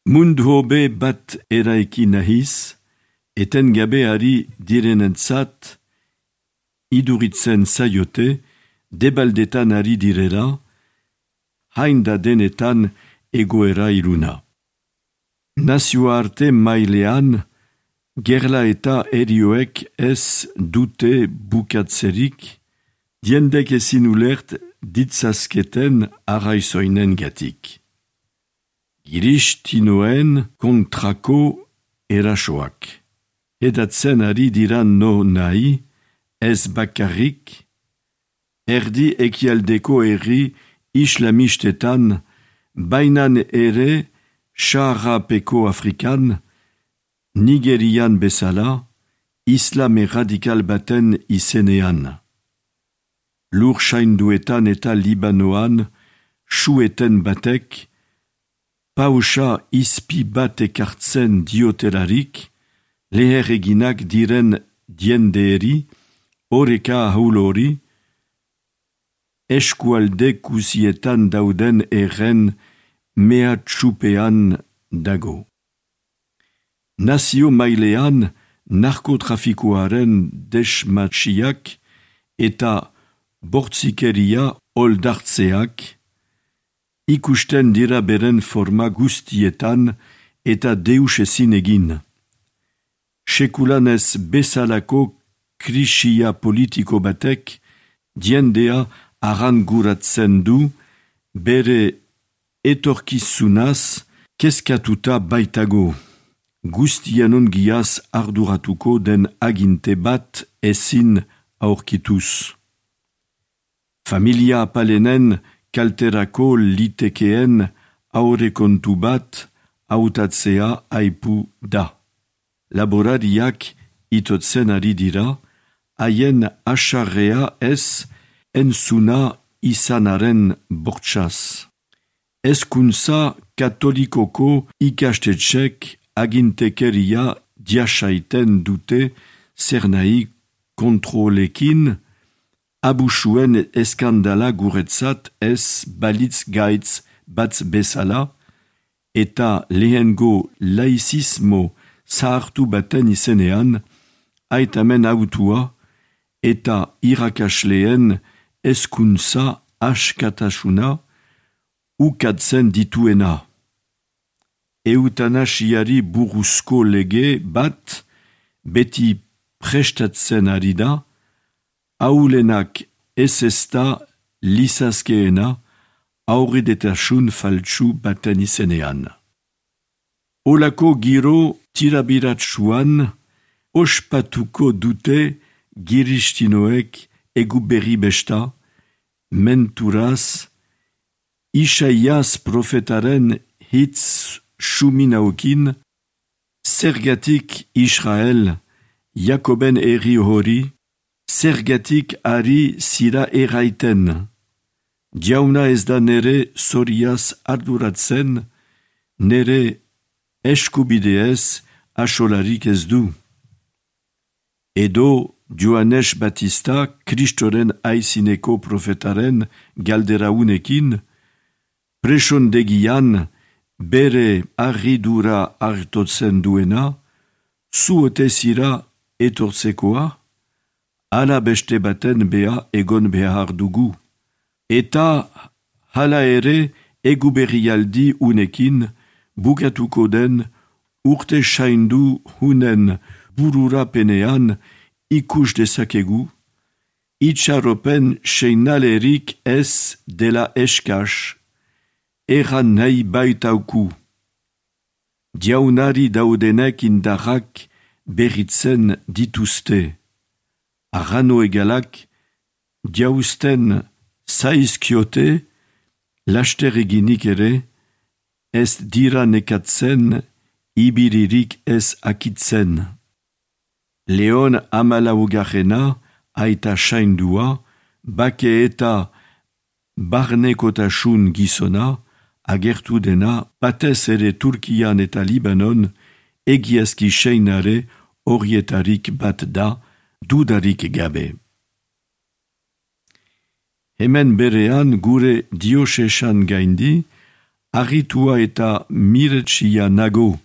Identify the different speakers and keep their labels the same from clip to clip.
Speaker 1: Mundhobe bat eraiki nahiz, etengabe ari direnentzat, iduritzen zaiote, debaldetan ari direla, hainda denetan egoera iluna. Nazioarte mailean, gerla eta erioek ez dute bukatzerik, diendek ezin ulert ditzazketen arraizoinen gatik. Giristinoen kontrako erasoak. Edatzen ari diran no nahi, ez bakarrik, erdi ekialdeko herri islamistetan, bainan ere Saharapeko Afrikan, Nigerian bezala, islame radikal baten izenean. Lur sainduetan eta Libanoan, sueten batek, pausa izpi bat ekartzen diotelarik, leher eginak diren diendeeri, oreka ahulori, eskualde kusietan dauden erren mehatxupean dago. Nazio mailean narkotrafikoaren desmatsiak eta bortzikeria oldartzeak ikusten dira beren forma guztietan eta deus ezin egin. Sekulanez bezalako krisia politiko batek diendea aranguratzen du bere etorkizunaz kezkatuta baitago. Guztien ongiaz arduratuko den aginte bat ezin aurkituz. Familia apalenen kalterako litekeen aurrekontu bat hautatzea aipu da. Laborariak itotzen ari dira, haien asarrea ez entzuna izanaren bortxaz. Hezkuntza katolikoko ikastetxek agintekeria diasaiten dute zer nahi kontrolekin, abusuen eskandala guretzat ez balitz gaitz batz bezala, eta lehengo laizismo zahartu baten izenean, aitamen autua eta irakasleen hezkuntza askatasuna ukatzen dituena. Eutanasiari buruzko lege bat beti prestatzen ari da, aulenak ez ezta lizazkeena aurredetasun faltsu baten izenean. Olako giro tirabiratsuan ospatuko dute giristinoek egu berri besta, menturaz, Isaias profetaren hitz suminaukin, zergatik Israel, Jakoben herri hori, zergatik ari zira erraiten. Jauna ez da nere zoriaz arduratzen, nere eskubideez asolarik ez du. Edo Joanes Batista, Kristoren aizineko profetaren galderaunekin, presondegian bere arridura hartotzen duena, zuote zira etortzekoa, ala beste baten bea egon behar dugu. Eta hala ere egu berrialdi unekin bukatuko den urte saindu hunen bururapenean ikus dezakegu, itxaropen seinalerik ez dela eskas, erran nahi baitauku. Jaunari daudenek indarrak berritzen dituzte. Arrano egalak jauzten zaizkiote, laster eginik ere, ez dira nekatzen, ibiririk ez akitzen. Leon amalaugarrena, aita saindua, bake eta barnekotasun gizona, agertu dena, batez ere Turkian eta Libanon, egiazki seinare horietarik bat da, dudarik gabe. Hemen berean gure diosesan gaindi, Arritua eta miretsia nago,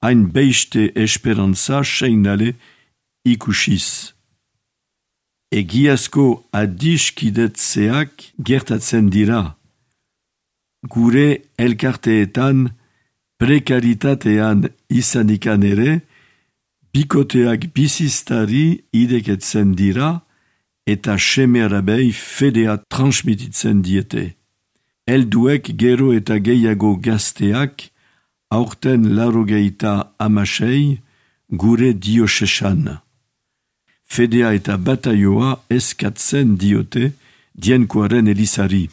Speaker 1: hain beiste esperantza seinale ikusiz. Egiazko adiskidetzeak gertatzen dira. Gure elkarteetan, prekaritatean izanikan ere, bikoteak biziztari ideketzen dira eta seme-alabei fedea transmititzen diete. Helduek gero eta gehiago gazteak, aurten 96 gure diosesan. Fedea eta bataioa eskatzen diote Dienkoaren elizari.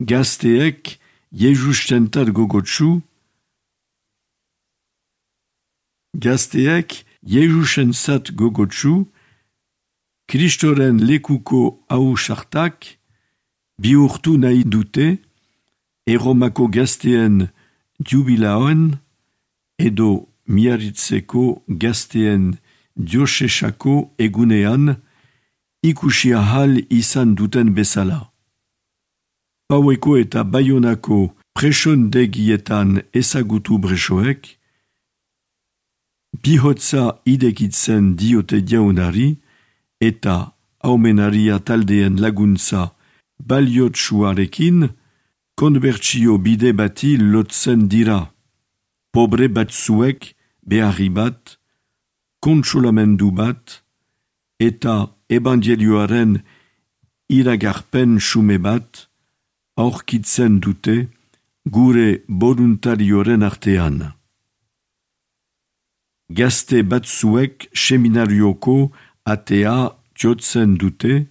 Speaker 1: Gazteek Jesustentat gogotsu, Kristoren lekuko ausartak bihurtu nahi dute, Erromako gazteen jubilaoen edo Miarritzeko gazteen diosesako egunean ikusi ahal izan duten bezala. Paueko eta Baionako presondegietan ezagutu bresoek, bihotza idekitzen diote jaunari eta aumenaria taldeen laguntza baliotsuarekin konbertsio bide bati lotzen dira. Pobre batzuek beharri bat, kontsolamendu bat eta ebangelioaren iragarpen xume bat aurkitzen dute gure voluntarioren artean. Gazte batzuek seminarioko atea jotzen dute,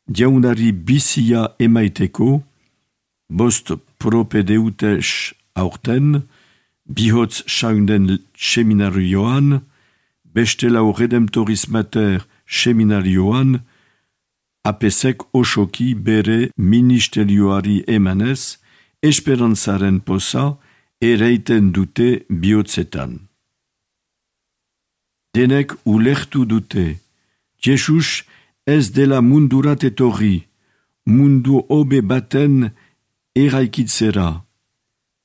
Speaker 1: jaunari bizia emaiteko, 5 propedeutes aurten, bihotz saunden seminarioan, beste lau redemptoris mater seminarioan, apesek osoki bere ministerioari emanez, esperantzaren poza ereiten dute bihotzetan. Denek ulertu dute, Jesus ez dela mundurat etorri, mundu hobe baten eraikitzera,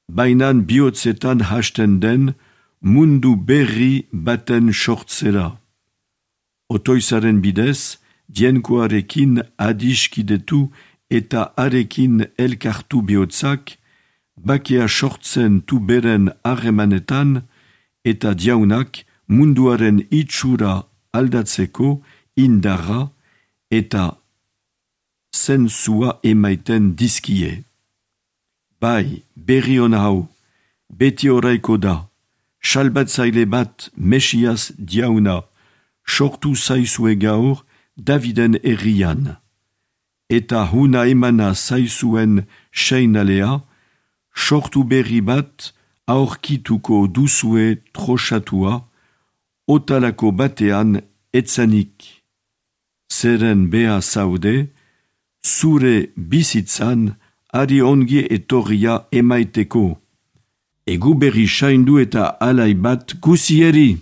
Speaker 1: bainan bihotzetan hasten den mundu berri baten sortzera. Otoizaren bidez, Dienkoarekin adiskidetu eta arekin elkartu bihotzak, bakea sortzen tu beren harremanetan eta jaunak munduaren itxura aldatzeko indarra eta zentzua emaiten dizkie. Bai, berri on hau, beti oraiko da, salbatzaile bat Mesias jauna, sortu zaizue gaur Daviden herrian, eta huna emana zaizuen seinalea, sortu berri bat aurkituko duzue trosatua, otalako batean etzanik. Zeren bea zaude, zure bizitzan ari ongi etorria emaiteko. Egu berri saindu eta alai bat guzieri!